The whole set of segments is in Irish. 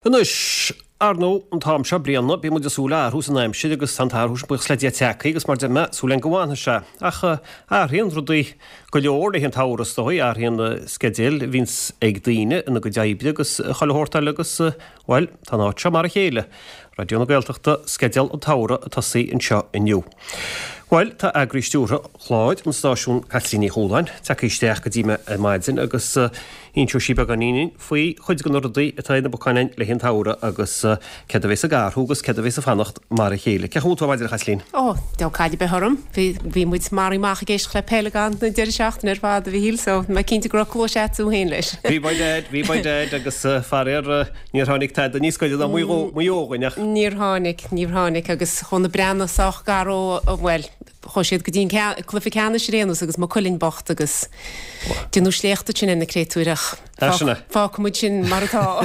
Anois, ar ndóigh, an t-am seo bliana, bíonn muid ag súil le athrú san aimsir agus tá an t-athrú sin, buíochas le Dia, tagtha agus mar a deir mé, súil againn go bhfanfaidh sé. Ach athraíonn rudaí go leor le haghaidh an tsamhraidh, is dóigh, athraíonn na sceidil a bhíonns ag daoine ina gcuid oibre agus chuile shórt eile agus, bhuel, tá an áit seo mar a chéile. Raidió na Gaeltachta, sceideal an tsamhraidh ag tosaí anseo inniu. Bhuel, tá eagraí stiúrtha chláir an stáisiúin Caitlín Ní Chualáin tagtha isteach go dtí mé ar maidin agus inseoidh sí beagáinín faoi chuid de na rudaí atá ar na bacáin againn le haghaidh an tsamhraidh agus céard a bheas ag athrú agus céard a bheas ag fanacht mar a chéile. Cén chaoi a bhfuil tú ar maidin, a Chaitlín? Ó, deabhal caill ar bith orm. Bhí, bhí muid maraithe amach ag éisteacht le peil ag an deireadh seachtaine ar fad, a Mhichíl, so mé cinnte go raibh cluais a't féin leis. Bhí by dad, bhí by dad agus faraor níor tháinig tada níos gaire ná Maigh Eo dhúinn ach. Níor tháinig, níor tháinig agus chuaigh na Breathnaigh sách gar ó, bhuel, Chuaigh siad go dtí an cluiche ceannais ar aon nós agus Maigh Cuilinn bocht agus déanadh sléacht ansin ar na créatúir ach fágfaidh muid sin mar atá.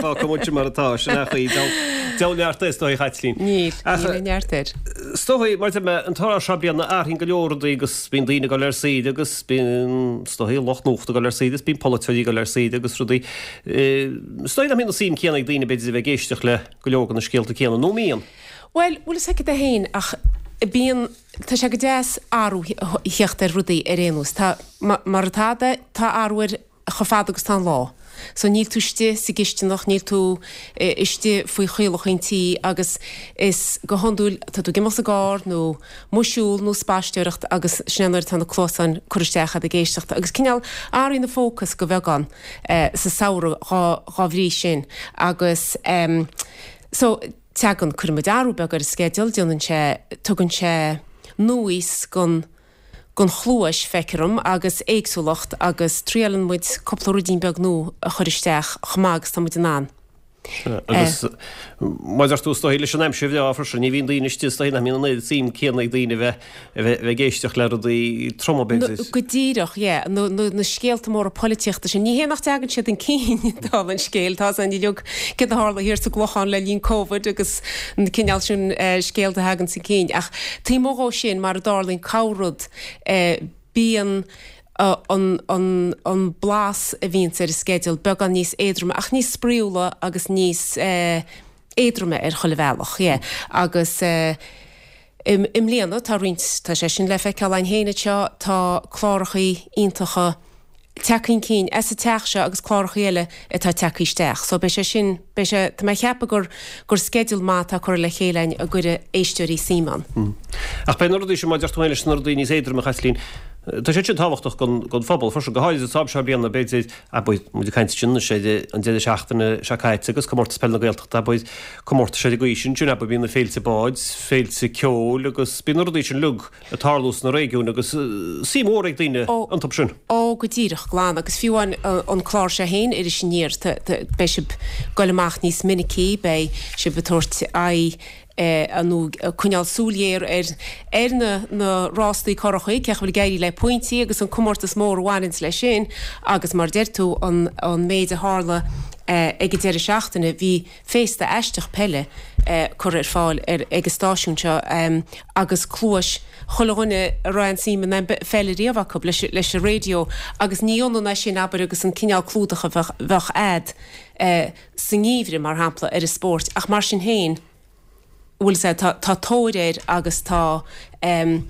Fágfaidh muid sin mar atá, sin é an chaoi. Deabhal neart air is dóigh a Chaitlín. Níl, níl aon neart air. Is dóigh, mar a deir mé, an tráth seo bliana athraíonn go leor rudaí agus bíonn daoine ag dul ar saoire agus bíonn, is dóigh, lucht nuachta ag dul ar saoire agus bíonn polaiteoirí ag dul ar saoire agus rudaí. Is dóigh nach mbíonn an suim céanna ag daoine b'fhéidir a bheith ag éisteacht le go leor de na scéalta céanna, nó an mbíonn? Bhuel, bhfuil fhios agat é féin ach bíonn, tá sé go deas athrú a theacht ar rudaí ar aon nós. Tá, mar atá de, tá athrú air chomh fada agus tá an lá. So níl tú istigh sa gcisteanach, níl tú istigh faoi chaolacha an tí agus is go hiondúil tá tú ag imeacht sa gcarr nó amuigh ag siúl nó spaisteoireacht agus sin é nuair atá na cluasáin curtha isteach agat ag éisteacht agus cineál athraíonn an fócas go bheagán sa samhradh dhá bhrí sin agus so Tagann, cuireann muid athrú beag ar an sceideal, déanann sé, tugann sé núíos gon, gon chluais, feictear dom, agus éagsúlacht agus triaileann muid cúpla ruidín beag nua a chur isteach chomh maith agus tá muid in ann. Agus mar a deir tú, is dóigh, leis an aimsir bhreá freisin, ní bhíonn daoine istigh, is dóigh nach mbíonn an oiread suim céanna ag daoine a bheith a bheith ag éisteacht le rudaí troma, b'fhéidir. Go díreach, yeah. Na, na, na scéalta móra polaitíochta sin. Ní hé nach dtagann siad chun cinn, dála an scéil. Tá a fhios againn uilig céard a tharla thiar sa gClochán le linn Covid agus an cineál sin scéalta a thagann chun cinn. Ach taobh amuigh dhó sin, mar a dtarlaíonn corr-rud, bíonn an, an, an blas a bhíonns ar an sceideal beagán níos éadroime ach níos spraíúla agus níos éadroime ar chuile bhealach, yeah. Agus. I mbliana, tá roinnt, tá sé sin le feiceáil againn féin anseo, tá clárachaí iontacha tagtha chun cinn as an teach seo agus clárachaí eile atá tagtha isteach. So beidh sé sin, beidh sé, tá mé ag ceapadh gur, gur sceideal maith atá curtha le chéile againn a gcuirfidh éisteoirí suim ann. Ach beidh na rudaí sin, mar a deir tú féin leis na rudaí níos éadroime, a Chaitlín, tá siad sin tábhachtach don, don phobal freisin, go háirid an t-am seo bliana, b'fhéidir, Abair, muid ag caint ansin anois ar an deireadh seachtaine seo caite agus Comórtas Peile na Gaeltachta, abair, comórtais ar an gcaoi sin, sin abair, bíonn na féilte báid, féilte ceoil agus bíonn na rudaí sin uilig ag tarlú sna réigiúin agus suim mhór ag daoine iontu sin. Ó, go díreach, glan, agus fiú amháin an clár seo féin, Iris Aniar, beidh sibh ag goil amach níos minicí, beidh sibh ag tabhairt aghaidh nó ag coinneáil súil ghéar ar ar na na rástaí curachaí, cén chaoi a bhfuil ag éirí le pointí agus an comórtas mór a bhaineanns leis sin agus mar a deir tú an an méid a tharla ag an deireadh seachtaine, bhí féasta aisteach peile curtha ar fáil ar ag an stáisiún seo agus cluais chuile dhuine a raibh aon suim in pheil ariamh acu leis leis an raidió agus ní ionann é sin abair agus an cineál clúdach a bheadh bheadh a'd sa ngeimhreadh, mar shampla, ar an spórt, ach mar sin féin, bhfuil 'fhios a'd, tá, tá tóir air agus tá, em,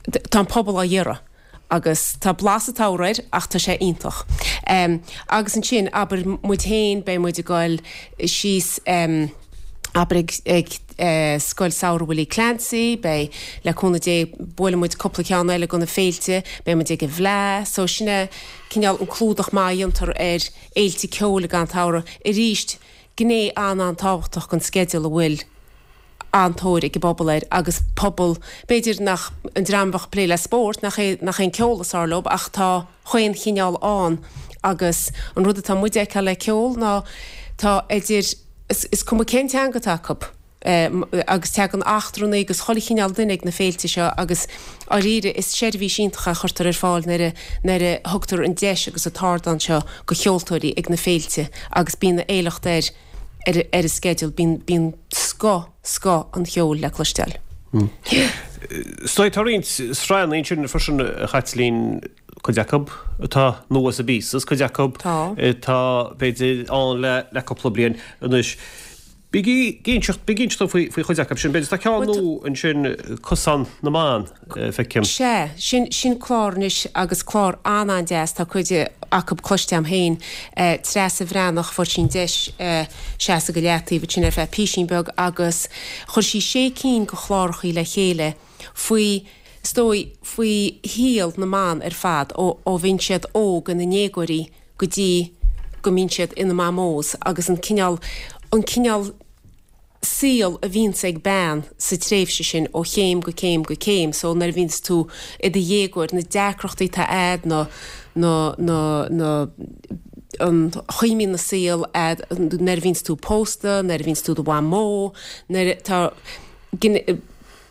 tá an pobal á iarraidh agus tá blas an tsamhraidh air ach tá sé iontach. Em, agus ansin, abair, muid féin, beidh muid ag goil síos, em, abair ag, ag, eh, Scoil Samhraidh Willie Clancy, beidh, le cúnamh Dé, buailfidh muid cúpla ceann eile de na féilte, beidh muid ag an bhFleadh, so sin é cineál an clúdach maith a dhéantar ar, fhéilte ceoil ag an tsamhradh. Arís, gné an-an-tábhachtach den sceideal a bhfuil an-tóir ag an bpobal air agus pobal, b'fhéidir nach, an dream a bheadh ag plé le spórt, nach é, nach é an ceol is fearr leo ach tá chaon chineál ann agus an rud atá muid a fheiceáil le ceol ná tá idir, is, is cuma cén teanga atá acu. agus tagann eachtrannaigh agus chuile chineál duine ag na féilte seo agus dháiríre is seirbhís iontach é a chuirtear ar fáil nuair a nuair a thugtar an deis agus an t-ardán seo go cheoltóirí ag na féilte agus bíonn éileacht air ar ar an sceideal, bíonn bíonn scoth scoth an cheoil le cloisteáil. Is dóigh tá roinnt sraitheanna ansin freisin a Chaitlín. Cuid acu atá nua sa bpíosa is cuid acu atá, b'fhéidir, ann le cúpla bliain anois. Bígí ag inseacht, bígí ag inseacht dom faoi chuid acu sin. B'fhéidir tá ceann nua ansin, Cosán na mBan, feicim. Sea, sin, sin clár anois agus clár an-an-deas, tá cuid acu cloiste agam féin. Treasa Bhreathnach, fuair sí an deis seasamh go leataobh ansin ar feadh písín beag agus chuir sí sé cinn de chlárachaí le chéile faoi, is dóigh, faoi shaol na mban ar fad ó ó bhíonn siad óg ina ndéagóirí go dtí go mbíonn siad ina mamós agus an cineál, an cineál saol a bhíonns ag bean sa tréimhse sin ó chéim go céim go céim. So nuair a bhíonns tú i do dhéagóir, na deacrachtaí atá a'd, na, na, na, na, an chaoi a mbíonn an saol a'd nuair a bhíonns tú pósta, nuair a bhíonns tú i do mhamó, nuair atá,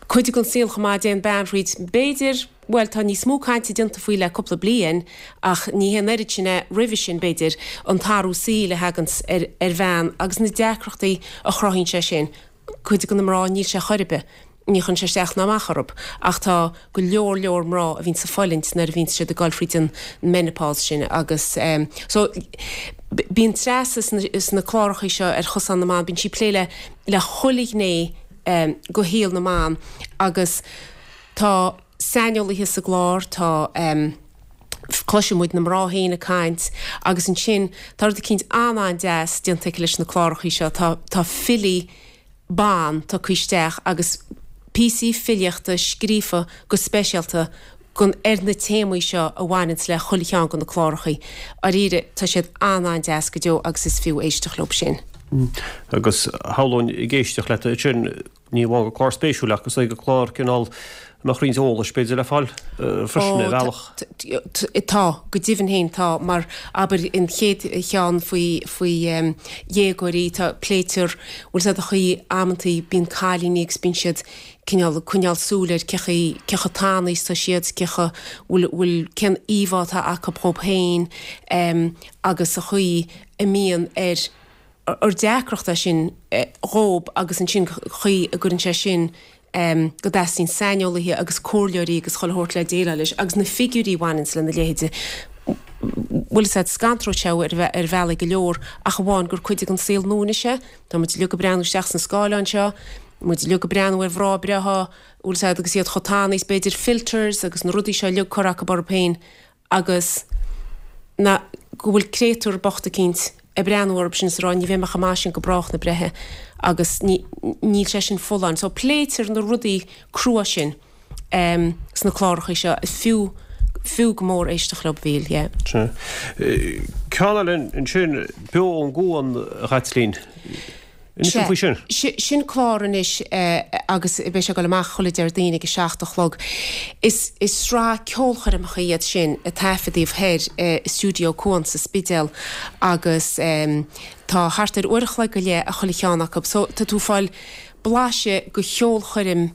cuid den saol chomh maith a dtéann bean thríd. B'fhéidir, bhuel, tá níos mó cainte déanta faoi le cúpla bliain ach ní hé an oiread sin é roimhe sin, b'fhéidir, an t-athrú saoil a thaganns ar ar bhean agus na deacrachtaí a chruthaíonn sé sin. Cuid de na mná, níl sé chor ar bith, ní chuireann sé isteach ná amach orthu ach tá go leor leor mná a bhíonns ag fulaingt nuair a bhíonns siad ag dul thríd an menopause sin agus so bíonn Treasa sna clárachaí seo ar Chosán na mBan, bíonn sí ag plé le le chuile ghné de shaol na mban agus tá saineolaithe sa gclár, tá, cloiseann muid na mná féin ag caint agus ansin tá rud eicínt an-an-deas déanta aici leis na clárachaí seo, tá, tá filí ban tugtha isteach agus píosaí filíochta scríofa go speisialta gon, ar na téamaí seo a bhaineanns le chuile cheann de na clárachaí. Dáiríre, tá siad an-an-deas go deo agus is fiú éisteacht leob sin. Agus shamhlóinn ag éisteacht leat ansin, ní amháin gur clár spéisiúil ach is dóigh gur clár cineál a mbeadh roinnt eolais b'fhéidir le fáil freisin ar bhealach. Tá, go deimhin féin tá, mar abair an chéad cheann faoi, faoi dhéagóirí, tá, pléitear, bhfuil 's a'd an chaoi amantaí bíonn cailíní agus bíonn siad cineál ag coinneáil súil ar cé chaoi, cé chomh tanaí is atá siad, cé chomh, bhfuil, bhfuil, cén íomhá atá acu dhóibh féin agus an chaoi a mbíonn ar, ar deacracht é sin dhóibh agus ansin an chaoi a gcuireann sé sin go dteastaíonn saineolaithe agus comhairleoirí agus chuile shórt le déileáil leis agus na figiúirí a bhaineanns lena leithéide. Bhfuil 'fhios a'd, scanródh sé thú ar ar bhealaí go leor ach amháin gur cuid den saol nua anois é. Tá muid uilig ag breathnú isteach sna scáileáin seo, muid uilig ag breathnú ar mhná breátha, bhfuil 'fhios a'd, agus iad chomh tanaí is b'fhéidir, filters agus na rudaí seo uilig curtha acu orthu féin agus na, go bhfuil créatúr bocht eicínt ag breathnú orthu sin is ag rá ní bheidh mé chomh maith sin go brách na breithe agus ní, níl sé sin folláin. So pléitear na rudaí crua sin sna clárachaí seo, is fiú, fiú go mór éisteacht leo, a Mhíchíl, yeah. Sea. Ceann eile ansin, Beo ón gCuan, a Chaitlín. Inis dom faoi sin. Sin clár anois agus beidh sé ag dul amach chuile Déardaoin ag a 7 a chlog. Is sraith ceolchoirmeacha iad sin a taifeadaíodh thoir i Stiúideo Cuan sa Spidéal agus tá thart ar uair a chloig go leith ag chuile cheann acu. So tá tú ag fáil blaiseadh de cheolchoirm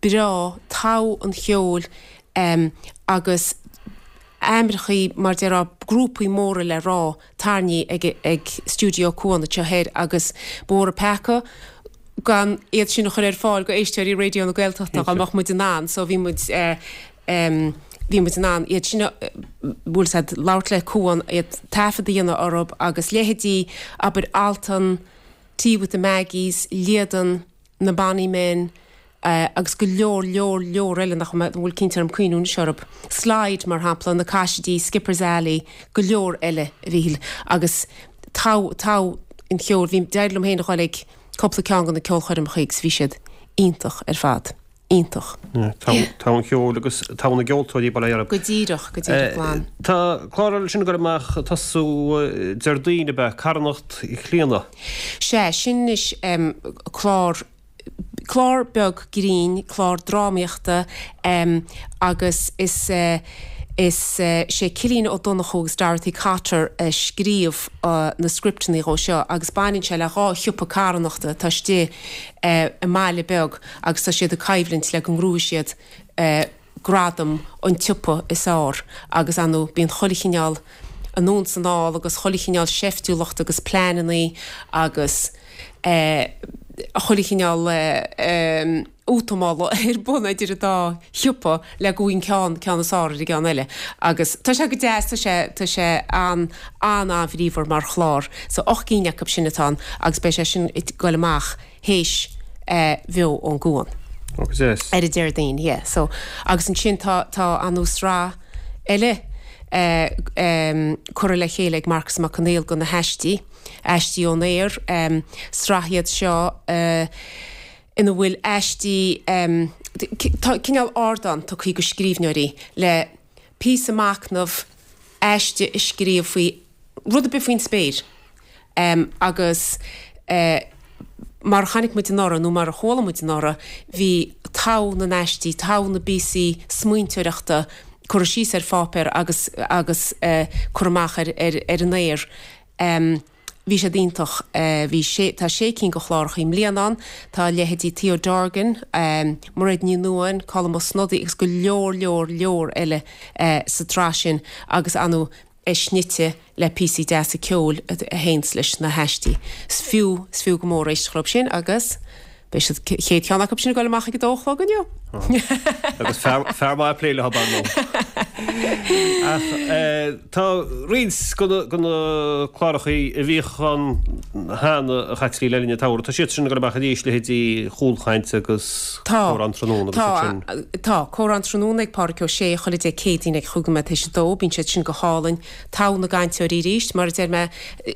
breá, togha an cheoil agus aimreachaí mar déarfá, grúpaí móra le rá. tarraingthe ag Stiúideo Cuan anseo thoir agus ba mhór an peaca gan iad sin a chur ar fáil go éisteoirí Raidió na Gaeltachta dá mbeadh muid in ann so bhí muid bhí muid in ann iad sin a bhfuil 's a'd labhairt le Cuan iad taifead a dhéanamh orthu agus leithéidí abair Altan, Tea with the Maggies, Líadan, na Bonny Men agus go leor, leor, leor eile nach bhfuil cinnte orm cuimhniú anois orthu. Slide, mar shampla, na Cassidys, Skipper's Alley, go leor eile, a Mhíchíl, agus togha, togha an cheoil. Bhí, d'éirigh liom féin a dhul ag cúpla ceann de na ceolchoirmeacha agus bhí siad iontach ar fad. Iontach. Togha an cheoil agus togha na gceoltóirí, bail ó Dhia orthu. Go díreach, go díreach glan. Tá clár eile ansin ag dul amach ag tosú Déardaoin, ab ea? Carthanacht Chlíodhna. Sea, sin anois clár, clár beag grinn, clár drámaíochta agus is, is sé Cillian Ó Donnchú agus Dorothy Cotter a scríobh na scripteanna dhó seo agus baineann sé le dhá shiopa carthanachta atá istigh i mbaile beag agus tá siad ag coimhlint le go ngnóthóidh siad gradam an tsiopa is fhearr agus ar ndóigh bíonn chuile chineál anonn 's anall agus chuile chineál seiftiúlacht agus pleanannaí agus eh. chuile chineál útamála ar bun idir an dá shiopa le go bhfaighidh ceann ceann is fearr ar an gceann eile. Agus tá sé go deas, tá sé, tá sé an, an-an-bhríomhar mar chlár. So 8 gcinn acu sin atá ann agus beidh sé sin ag goil amach théis Bheo ón gCuan. Ó go deas. Ar an Déardaoin, yeah. So, agus ansin tá, tá anú sraith eile curtha le chéile ag Marcus Mac Conghail do na haistí, Aistí ón Aer, sraith iad seo ina bhfuil aistí, tá cineál ardán tugtha do scríbhneoirí le píosa machnaimh, aiste a scríobh faoi rud ar bith faoin spéir agus mar a chonaic muid anuraidh nó mar a chuala muid anuraidh, bhí togha na n-aistí, togha na bpíosaí smaointeoireachta curtha síos ar pháipéar agus agus curtha amach ar ar an aer. Bhí siad iontach. Bhí sé, tá sé cinn de chláracha i mbliana ann. Tá leithéidí Theo Dorgan, Mairéad Ní Nuadháin, Colm Ó Snodaigh agus go leor leor leor eile sa tsraith sin agus anu é snite le píosaí deasa ceoil a théanns leis na haistí. Is fiú, is fiú go mór éisteacht leo sin agus. Beidh siad, chéad cheann acu sin ag dul amach ag a dó a chlog inniu. Agus fear maith plé leo ar ndóigh. Ach tá roinnt de na clárachaí a bhíodh ann cheana a Chaitlín le linn an tsamhraidh, tá siad sin ag dul amach arís, leithéidí Chúlchaint agus Comhrá an Tráthnóna agus iad sin. Tá, Comhrá an Tráthnóna ag Pádraic Ó Sé chuile Dé Céadaoin ag chúig nóiméad théis a dó, bíonn siad sin go hálainn. Togha na gcainteoirí arís, mar a deir mé,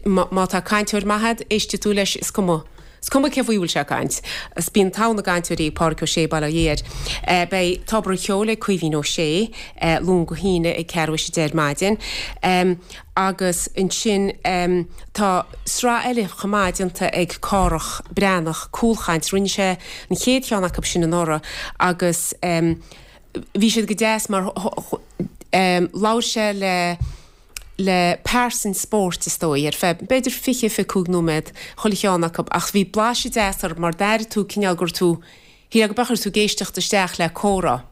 má tá cainteoir maith agat, éistfidh tú leis, is cuma. Is cuma cé faoi a bhfuil sé ag caint. Is bíonn togha na gcainteoirí ag Pádraic Ó Sé, bail ó Dhia air. Beidh Tobar an Cheoil ag Caoimhín Ó Sé, Luan go hAoine ag ceathrú théis a deich ar maidin. Agus ansin tá sraith eile chomh maith déanta ag Cárthach Breathnach, Cúlchaint. Rinne sé an chéad cheann acu sin anuraidh agus bhí siad go deas mar labhair sé le le pearsain spóirt is dóigh, ar feadh b'fhéidir 20, 25 nóiméad chuile cheann acu ach bhí blaiseadh deas orthu mar d'airigh tú cineál go raibh tú, shílfeá go raibh tú ag éisteacht isteach le comhrá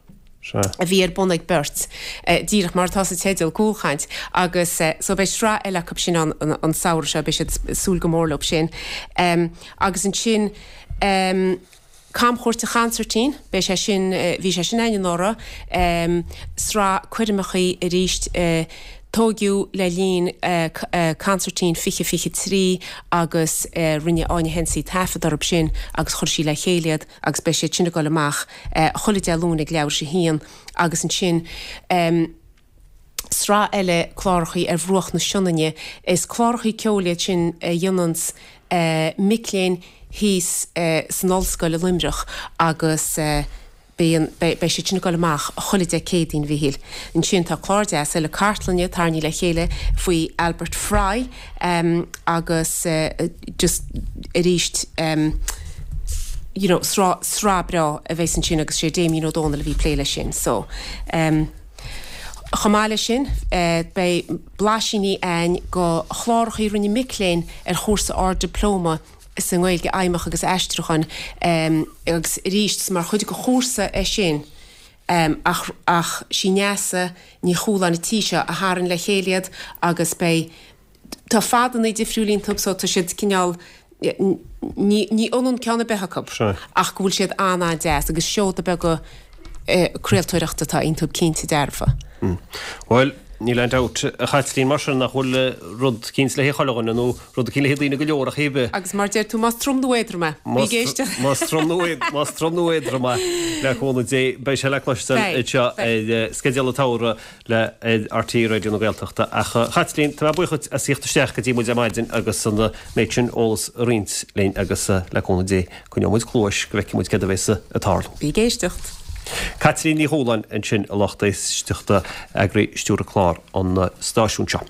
a bhí ar bun ag beirt, díreach mar atá sa teideal, Cúlchaint, agus so beidh sraith eile acu sin ann an samhradh seo, beidh siad ag súil go mór leo sin. Agus ansin. Camchuairt an Chansairtín, beidh sé sin, bhí sé sin againn anuraidh, sraith coirmeachaí arís, tóigeadh le linn Consairtín 2023 agus rinne Áine Hensey taifead orthu sin agus chuir sí le chéile iad agus beidh siad sin ag dul amach chuile Dé Luain ag leathuair théis a haon agus ansin sraith eile clárachaí ar bhruach na Sionainne. Is clárachaí ceoil iad sin a dhéananns mic léinn thíos san ollscoil i Luimneach agus bíonn, beidh siad sin ag dul amach chuile Dé Céadaoin, a Mhíchíl. Ansin tá clár deas eile cartlainne tarraingthe le chéile faoi Albert Fry agus just arís you know sraith, sraith breá a bheas ansin agus sé Damien Ó Dónaill a bhí ag plé leis sin so. Chomh maith leis sin, beidh blaisíní a'ainn go chlárachaí a rinne mic léinn ar chúrsa Ard-Dioplóma sa nGaeilge Fheidhmeach agus Aistriúchán agus arís is mar chuid de chúrsa é sin ach ach sí Neasa Ní Chualáin an tí seo a tharraing le chéile iad agus beidh Tá fadanna difriúil iontu so tá siad cineál, ní ionann ceann ar bith acu ach go bhfuil siad an-an-deas agus seoda beaga craoltóireachta atá iontu cinnte dearfa. Bhuel, níl aon dabht, a Chaitlín, mar sin nach bhfuil rud eicínt le haghaidh chuile dhuine nó rud eicínt le haghaidh daoine go leor ach cibé. Agus mar deir tú, más trom nó éadrom é, bí ag éisteacht. Más trom nó más trom nó éadrom é, le cúnamh Dé, beidh sé le cloisteáil anseo ar Sceideal an tSamhraidh. le RTÉ Raidió na Gaeltachta. Ach a Chaitlín, tá mé buíoch duit as theacht isteach go dtí muid ar maidin agus an méid sin eolas a roinnt linn agus le cúnamh Dé coinneoidh muid cluais go bhfeicfidh muid céard a bhéas ag tarlú. Bí ag éisteacht. Caitlín Ní Chualáin ansin a lucht éisteachta, eagraí stiúrtha clár an stáisiúin seo.